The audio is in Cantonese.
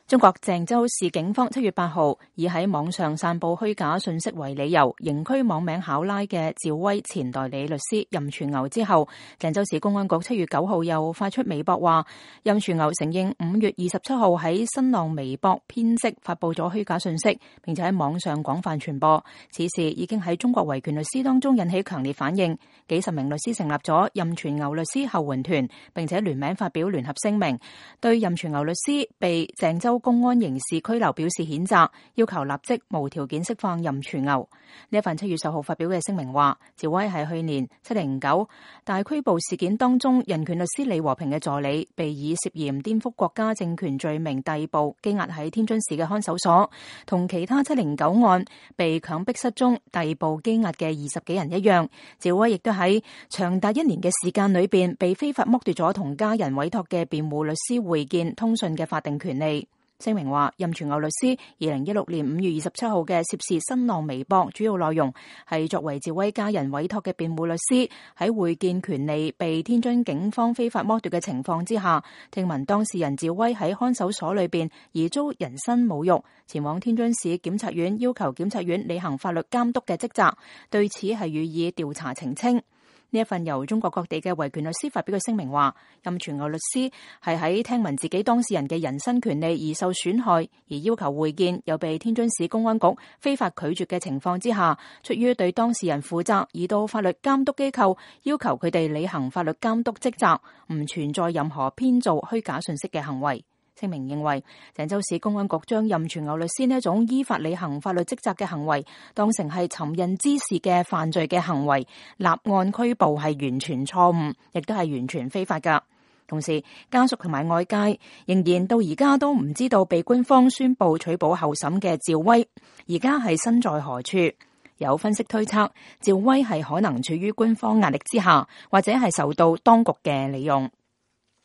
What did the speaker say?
中國鄭州市警方7月8號以喺網上散布虛假信息為理由，刑拘網名考拉嘅趙薇前代理律師任全牛之後，鄭州市公安局7月9號又發出微博話，任全牛承認5月27號喺新浪微博編輯發布咗虛假信息，並且喺網上廣泛傳播。此事已經喺中國維權律師當中引起強烈反應，幾十名律師成立咗任全牛律師後援團，並且聯名發表聯合聲明，對任全牛律師被鄭州公安刑事拘留表示譴責，要求立即無條件釋放任全牛。呢一份7月10號發表嘅聲明話，趙薇係去年709大拘捕事件當中，人權律師李和平嘅助理，被以涉嫌顛覆國家政權罪名逮捕羈押喺天津市嘅看守所，同其他709案被強迫失蹤逮捕羈押嘅20幾人一樣，趙薇亦都喺長達1年嘅時間裏邊被非法剝奪咗同家人委託嘅辯護律師會見通訊嘅法定權利。聲明話，任全牛律師2016年5月27號嘅涉事新浪微博主要內容係作為趙薇家人委託嘅辯護律師，喺會見權利被天津警方非法剝奪嘅情況之下，聽聞當事人趙薇喺看守所裏邊而遭人身侮辱，前往天津市檢察院要求檢察院履行法律監督嘅職責，對此係予以調查澄清。呢一份由中國各地嘅維權律師發表嘅聲明話，任全牛律師係喺聽聞自己當事人嘅人身權利而受損害，而要求會見又被天津市公安局非法拒絕嘅情況之下，出於對當事人負責而到法律監督機構要求佢哋履行法律監督職責，唔存在任何編造虛假信息嘅行為。聲明認為，鄭州市公安局將任全牛律師呢一種依法履行法律職責嘅行為當成係尋釁滋事嘅犯罪嘅行為，立案拘捕係完全錯誤，亦都係完全非法㗎。同時，家屬同埋外界仍然到而家都唔知道被官方宣布取保候審嘅趙薇而家係身在何處。有分析推測，趙薇係可能處於官方壓力之下，或者係受到當局嘅利用。